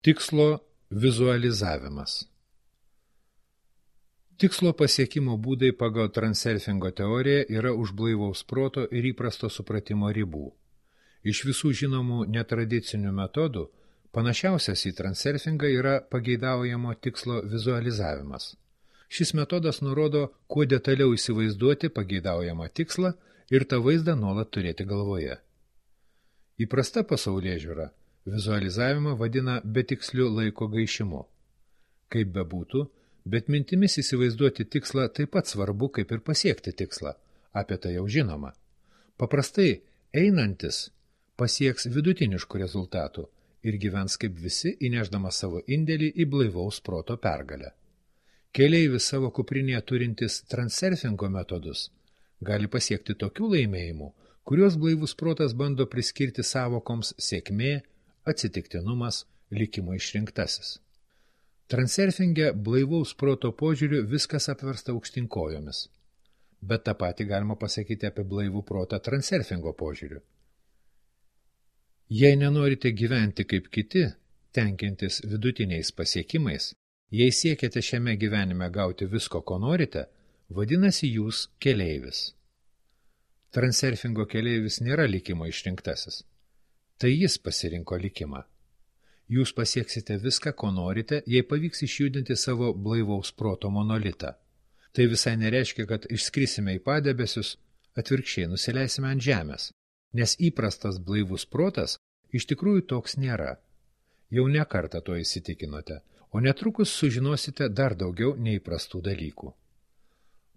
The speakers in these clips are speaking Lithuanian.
Tikslo vizualizavimas. Tikslo pasiekimo būdai pagal transurfingo teoriją yra už blaivaus proto ir įprasto supratimo ribų. Iš visų žinomų netradicinių metodų panašiausias į transurfingą yra pageidaujamo tikslo vizualizavimas. Šis metodas nurodo, kuo detaliau įsivaizduoti pageidaujamą tikslą ir tą vaizdą nuolat turėti galvoje. Įprasta pasaulėžiūra vizualizavimą vadina betiksliu laiko gaišimu. Kaip bebūtų, bet mintimis įsivaizduoti tikslą taip pat svarbu, kaip ir pasiekti tikslą. Apie tai jau žinoma. Paprastai einantis pasieks vidutiniškų rezultatų ir gyvens kaip visi, įnešdamas savo indėlį į blaivaus proto pergalę. Keleivis savo kuprinėje turintis transurfingo metodus gali pasiekti tokių laimėjimų, kuriuos blaivus protas bando priskirti sąvokoms sėkmė, atsitiktinumas, likimo išrinktasis. Transurfinge blaivaus proto požiūriu viskas apversta aukštyn kojomis. Bet tą patį galima pasakyti apie blaivų protą transurfingo požiūriu. Jei nenorite gyventi kaip kiti, tenkintis vidutiniais pasiekimais, jei siekiate šiame gyvenime gauti visko, ko norite, vadinasi jūs keleivis. Transurfingo keleivis nėra likimo išrinktasis. Tai jis pasirinko likimą. Jūs pasieksite viską, ko norite, jei pavyks išjudinti savo blaivaus proto monolitą. Tai visai nereiškia, kad išskrisime į padebesius, atvirkščiai nusileisime ant žemės, nes įprastas blaivus protas iš tikrųjų toks nėra. Jau ne kartą to įsitikinote, o netrukus sužinosite dar daugiau neįprastų dalykų.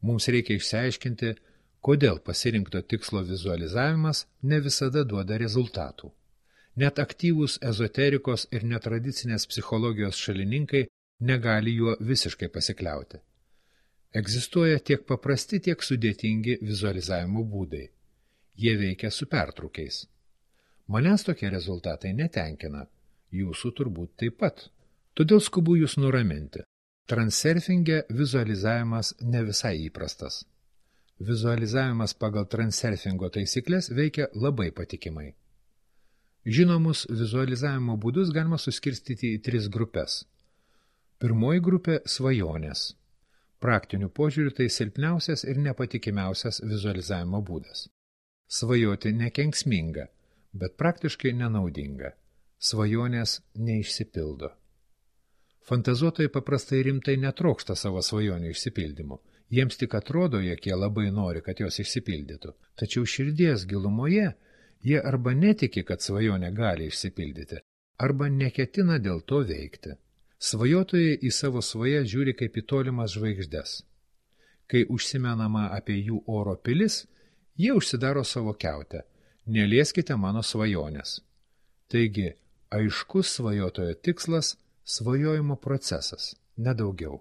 Mums reikia išsiaiškinti, kodėl pasirinkto tikslo vizualizavimas ne visada duoda rezultatų. Net aktyvūs ezoterikos ir netradicinės psichologijos šalininkai negali juo visiškai pasikliauti. Egzistuoja tiek paprasti, tiek sudėtingi vizualizavimo būdai. Jie veikia su pertrūkiais. Manęs tokie rezultatai netenkina, jūsų turbūt taip pat. Todėl skubu jūs nuraminti. Transurfinge vizualizavimas ne visai įprastas. Vizualizavimas pagal transurfingo taisyklės veikia labai patikimai. Žinomus vizualizavimo būdus galima suskirstyti į 3 grupės. Pirmoji grupė – svajonės. Praktiniu požiūriu tai silpniausias ir nepatikimiausias vizualizavimo būdas. Svajoti nekenksminga, bet praktiškai nenaudinga. Svajonės neišsipildo. Fantazuotojai paprastai rimtai netrokšta savo svajonių išsipildymo. Jiems tik atrodo, jog jie labai nori, kad jos išsipildytų. Tačiau širdies gilumoje jie arba netiki, kad svajonė gali išsipildyti, arba neketina dėl to veikti. Svajotojai į savo svajas žiūri kaip į tolimas žvaigždes. Kai užsimenama apie jų oro pilis, jie užsidaro savo kiautę. Nelieskite mano svajonės. Taigi, aiškus svajotojo tikslas – svajojimo procesas, nedaugiau.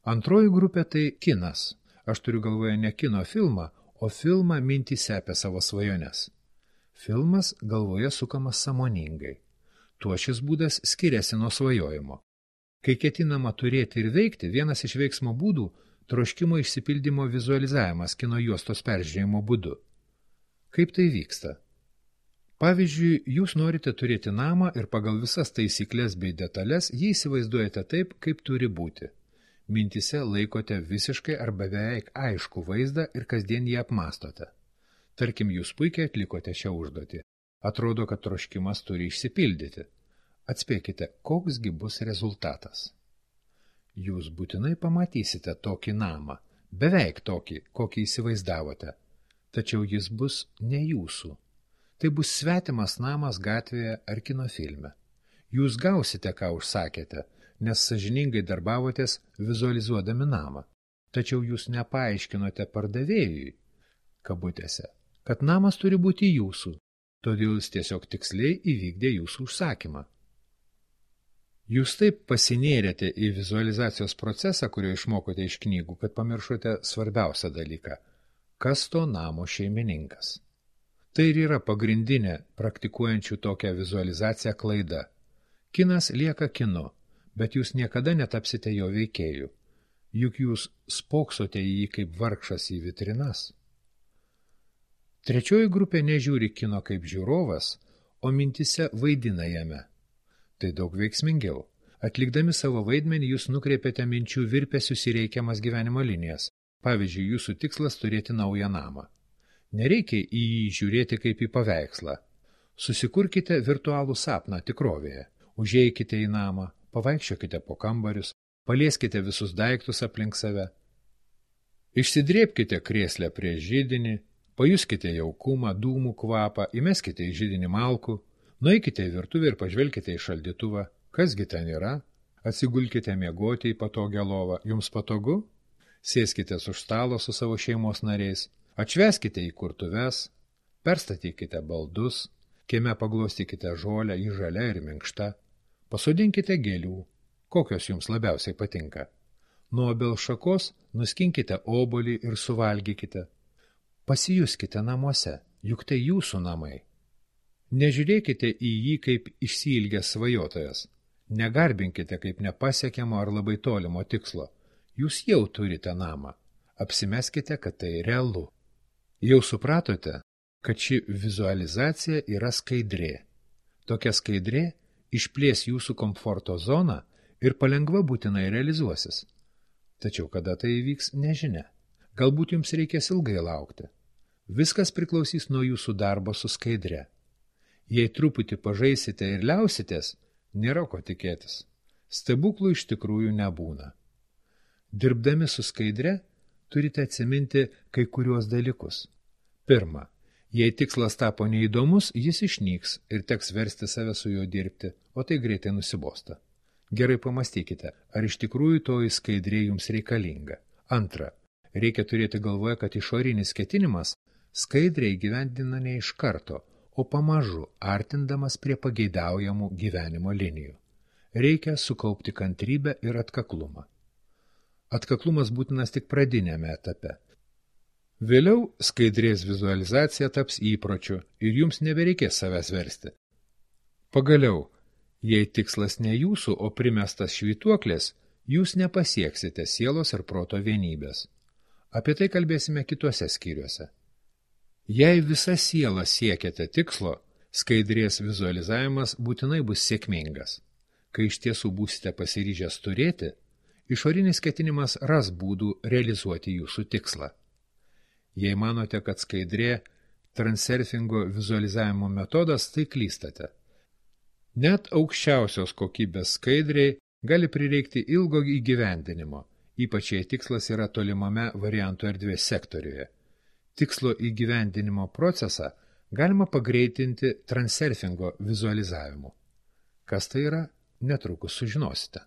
Antroji grupė tai kinas. Aš turiu galvoje ne kino filmą, o filmą mintyse apie savo svajones. Filmas galvoje sukamas sąmoningai. Tuo šis būdas skiriasi nuo svajojimo. Kai ketinama turėti ir veikti, vienas iš veiksmo būdų – troškimo išsipildymo vizualizavimas kino juostos peržiūrėjimo būdu. Kaip tai vyksta? Pavyzdžiui, jūs norite turėti namą ir pagal visas taisyklės bei detalės jį įsivaizduojate taip, kaip turi būti. Mintyse laikote visiškai arba beveik aiškų vaizdą ir kasdien jį apmastote. Tarkim, jūs puikiai atlikote šią užduotį. Atrodo, kad troškimas turi išsipildyti. Atspėkite, koksgi bus rezultatas. Jūs būtinai pamatysite tokį namą, beveik tokį, kokį įsivaizdavote. Tačiau jis bus ne jūsų. Tai bus svetimas namas gatvėje ar kino filme. Jūs gausite, ką užsakėte, nes sąžiningai darbavotės vizualizuodami namą. Tačiau jūs nepaaiškinote pardavėjui, kabutėse, kad namas turi būti jūsų, todėl jis tiesiog tiksliai įvykdė jūsų užsakymą. Jūs taip pasinėrėte į vizualizacijos procesą, kurio išmokote iš knygų, kad pamiršote svarbiausią dalyką – kas to namo šeimininkas. Tai ir yra pagrindinė praktikuojančių tokią vizualizaciją klaida. Kinas lieka kinu, bet jūs niekada netapsite jo veikėjų. Juk jūs spoksote į jį kaip vargšas į vitrinas. Trečioji grupė nežiūri kino kaip žiūrovas, o mintyse vaidina jame. Tai daug veiksmingiau. Atlikdami savo vaidmenį jūs nukreipiate minčių virpesius į reikiamas gyvenimo linijas. Pavyzdžiui, jūsų tikslas turėti naują namą. Nereikia į jį žiūrėti kaip į paveikslą. Susikurkite virtualų sapną tikrovėje. Užeikite į namą, pavaikščiokite po kambarius, palieskite visus daiktus aplink save. Išsidrėbkite krėslę prie židinį, pajuskite jaukumą, dūmų kvapą, įmeskite į židinį malkų, nueikite į virtuvę ir pažvelkite į šaldytuvą. Kasgi ten yra? Atsigulkite miegoti į patogią lovą. Jums patogu? Sėskite už stalo su savo šeimos nariais, atšveskite į kurtuves, perstatykite baldus, kieme paglostykite žolę, ji žalia ir minkšta, pasodinkite gėlių, kokios jums labiausiai patinka. Nuo obels šakos nuskinkite obuolį ir suvalgykite. Pasijuskite namuose, juk tai jūsų namai. Nežiūrėkite į jį kaip išsiilgęs svajotojas, negarbinkite kaip nepasiekiamo ar labai tolimo tikslo. Jūs jau turite namą. Apsimeskite, kad tai realu. Jau supratote, kad ši vizualizacija yra skaidrė. Tokia skaidrė išplės jūsų komforto zoną ir palengva būtinai realizuosis. Tačiau kada tai įvyks, nežinia. Galbūt jums reikės ilgai laukti. Viskas priklausys nuo jūsų darbo su skaidre. Jei truputį pažaisite ir liausitės, nėra ko tikėtis. Stebuklų iš tikrųjų nebūna. Dirbdami su skaidre, turite atsiminti kai kuriuos dalykus. Pirma, jei tikslas tapo neįdomus, jis išnyks ir teks versti save su juo dirbti, o tai greitai nusibosta. Gerai pamastykite, ar iš tikrųjų toji skaidrė jums reikalinga. Antra, reikia turėti galvoje, kad išorinis ketinimas skaidriai įgyvendina ne iš karto, o pamažu artindamas prie pageidaujamų gyvenimo linijų. Reikia sukaupti kantrybę ir atkaklumą. Atkaklumas būtinas tik pradinėme etape. Vėliau skaidrės vizualizacija taps įpročiu ir jums nebereikės savęs versti. Pagaliau, jei tikslas ne jūsų, o primestas švytuoklės, jūs nepasieksite sielos ir proto vienybės. Apie tai kalbėsime kituose skyriuose. Jei visa siela siekiate tikslo, skaidrės vizualizavimas būtinai bus sėkmingas. Kai iš tiesų būsite pasiryžęs turėti, išorinis ketinimas ras būdų realizuoti jūsų tikslą. Jei manote, kad skaidrė transurfingo vizualizavimo metodas, tai klystate. Net aukščiausios kokybės skaidriai gali prireikti ilgo įgyvendinimo, ypač jei tikslas yra tolimame variantų erdvės sektoriuje. Tikslo įgyvendinimo procesą galima pagreitinti transurfingo vizualizavimu. Kas tai yra, netrukus sužinosite.